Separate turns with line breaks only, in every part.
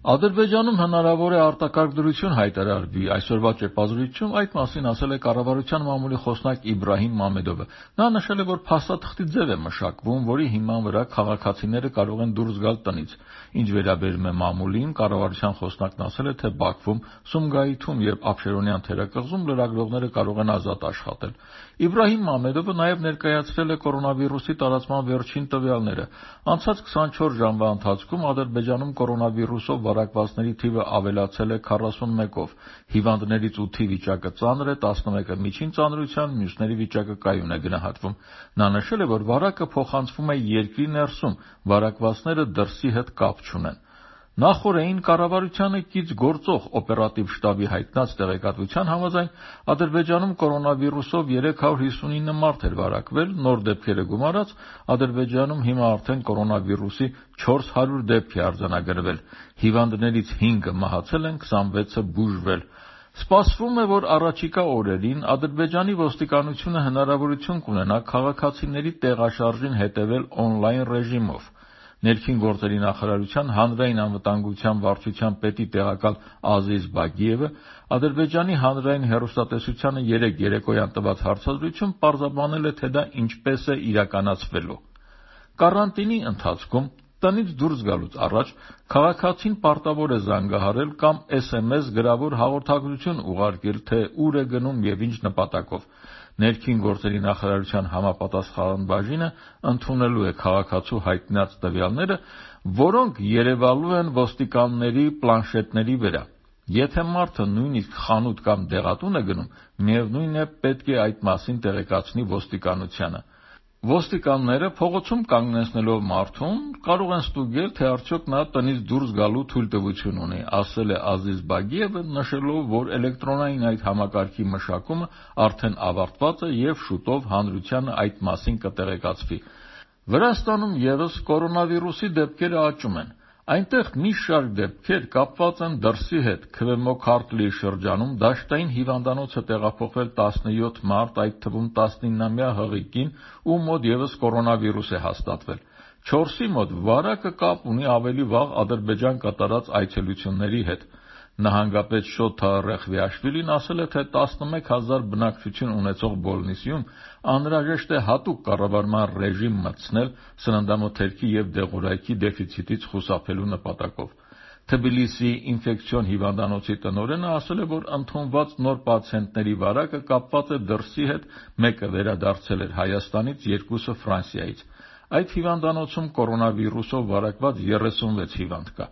Ադրբեջանում հնարավոր է արտակարգ դրություն հայտարարվի։ Այսօրվա ճեպազրույցում այդ մասին ասել է կառավարության մամուլի խոսնակ Իբրահիմ Մամեդովը։ Նա նշել է, որ փաստաթղթի ձև է մշակվում, որի հիման վրա քաղաքացիները կարող են դուրս գալ տնից։ Ինչ վերաբերում է մամուլին, կառավարության խոսնակն ասել է, թե Բաքվում, Սումգայիթում եւ Աբշերոնյան թերակղզում լրագրողները կարող են ազատ աշխատել։ Իբրահիմ Մամեդովը նաև ներկայացրել է կորոնավիրուսի տարածման վերջին տվյալները։ Անցած 24 ժամվա ընթացքում Ադրբեջանում կորոնավիրուսով վարակվածների թիվը ավելացել է 41-ով, հիվանդներից 8-ի վիճակը ծանր է, 11-ը միջին ծանրության, մյուսների վիճակը կայուն է գնահատվում։ Նա նշել է, որ վարակը փոխանցվում է երկրի ներսում, վարակվածները դրսի հետ կապ չունեն։ Նախորդին կառավարությանը կից գործող օպերատիվ շտաբի հայտնած տեղեկատվության համաձայն Ադրբեջանում կորոնավիրուսով 359 մարդ էր վարակվել, նոր դեպքերը գումարած Ադրբեջանում հիմա արդեն կորոնավիրուսի 400 դեպք է արձանագրվել, հիվանդներից 5-ը մահացել են, 26-ը բուժվել։ Սպասվում է, որ առաջիկա օրերին Ադրբեջանի ոստիկանությունը հնարավորություն կունենա քաղաքացիների տեղաշարժին հետևել օնլայն ռեժիմով։ Ներքին գործերի նախարարության հանրային անվտանգության վարչության պետի տեղակալ Ազիզ Բագիևը Ադրբեջանի հանրային հեռուստատեսությանը 3 երեկոյան տված հարցազրույցում պարզաբանել է, թե դա ինչպես է իրականացվելու։ Կարանտինի ընթացքում տնից դուրս գալուց առաջ քաղաքացին պարտավոր է զանգահարել կամ SMS գրավոր հաղորդագրություն ուղարկել, թե ուր է գնում եւ ինչ նպատակով։ Ներքին գործերի նախարարության համապատասխան բաժինը ընդունելու է քաղաքացու հայտնած տվյալները, որոնք երևալու են ոստիկանների պլանշետների վրա։ Եթե մարդը նույնիսկ խանութ կամ դեղատուն է գնում, միևնույն է պետք է այդ մասին տեղեկացնի ոստիկանությանը։ Ոստիկանները փողոցում կանգնեցնելով մարդուն կարող են ստուգել, թե արդյոք նա տնից դուրս գալու թույլտվություն ունի, ասել է Ազիզ Բագիևը, նշելով, որ էլեկտրոնային այդ համակարգի մշակումը արդեն ավարտված է եւ շուտով հանրությանը այդ մասին կտեղեկացվի։ Վրաստանում եւս կորոնավիրուսի դեպքերը աճում են։ Այնտեղ մի շարք դեպքեր կապված են դրսի հետ։ Քվեմոքարտլի շրջանում դաշտային հիվանդանոց է տեղափոխվել 17 մարդ, այդ թվում 19-ամյա հղի կին, ում մոտ եւս կորոնավիրուս է հաստատվել։ 4-ի մոտ վարակը կապ ունի ավելի վաղ Ադրբեջան կատարած այցելությունների հետ։ Նահանգապետ Շոթա Ռեխվիաշվիլին ասել է, թե 11,000 բնակչություն ունեցող Բոլնիսիում անհրաժեշտ է հատուկ կառավարման ռեժիմ մտցնել սննդամթերքի եւ դեղորայքի դեֆիցիտից խուսափելու նպատակով։ Թբիլիսիի ինֆեկցիոն հիվանդանոցի տնօրենը ասել է, որ ընդունված նոր պացիենտների վարակը կապված է դրսի հետ, մեկը վերադարձել էր Հայաստանից, 2-ը Ֆրանսիայից։ Այդ հիվանդանոցում կորոնավիրուսով վարակված 36 հիվանդ կա։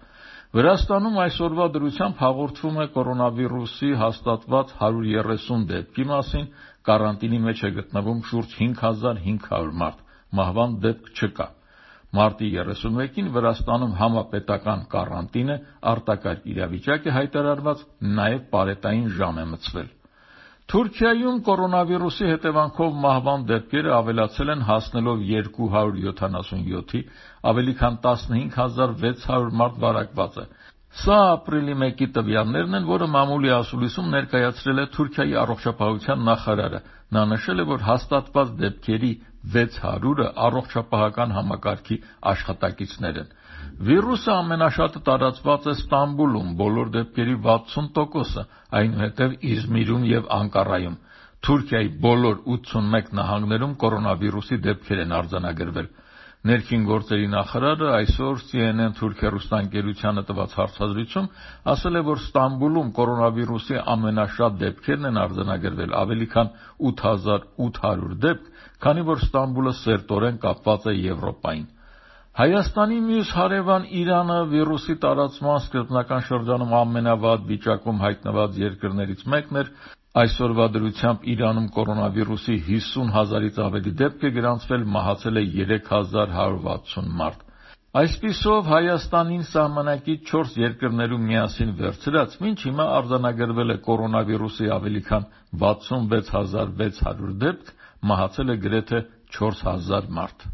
Վրաստանում այսօրվա դրությամբ հաղորդվում է կորոնավիրուսի հաստատված 130 դեպքի մասին, կարանտինի մեջ է գտնվում շուրջ 5500 մարդ, մահվան դեպք չկա։ Մարտի 31-ին Վրաստանում համապետական կարանտին է, արտակարգ իրավիճակ է հայտարարված, նաև պարետային ժամ է մցվել։ Թուրքիայում կորոնավիրուսի հետևանքով մահվան դեպքերը ավելացել են, հասնելով 277-ի, ավելի քան 15600 մարդ վարակված է։ Սա ապրիլի 1-ի տվյալներն են, որը մամուլի ասուլիսում ներկայացրել է Թուրքիայի առողջապահության նախարարը։ Նա նշել է, որ հաստատված դեպքերի 600-ը առողջապահական համակարգի աշխատակիցներ են։ Վիրուսը ամենաշատը տարածված է Ստամբուլում, բոլոր դեպքերի 60%-ը, այնուհետև Իզմիրում եւ Անկարայում։ Թուրքիայի բոլոր 81 նահանգներում կորոնավիրուսի դեպքեր են արձանագրվել։ Ներքին գործերի նախարարը այսօր CNN թուրք հեռուստաընկերությանը տված հարցազրույցում ասել է, որ Ստամբուլում կորոնավիրուսի ամենաշատ դեպքերն են արձանագրվել, ավելի քան 8800 դեպք, քանի որ Ստամբուլը սերտորեն կապված է Եվրոպային։ Հայաստանի մյուս հարևան Իրանը վիրուսի տարածման սկզբնական շրջանում ամենավատ վիճակում հայտնված երկրներից մեկն էր։ Այսօրվա դրությամբ Իրանում կորոնավիրուսի 50,000-ից ավելի դեպք է գրանցվել, մահացել է 3160 մարդ։ Այսպիսով Հայաստանին սահմանակից 4 երկրներում միասին վերցրած, մինչ հիմա արձանագրվել է կորոնավիրուսի ավելի քան 66600 դեպք, մահացել է գրեթե 4000 մարդ։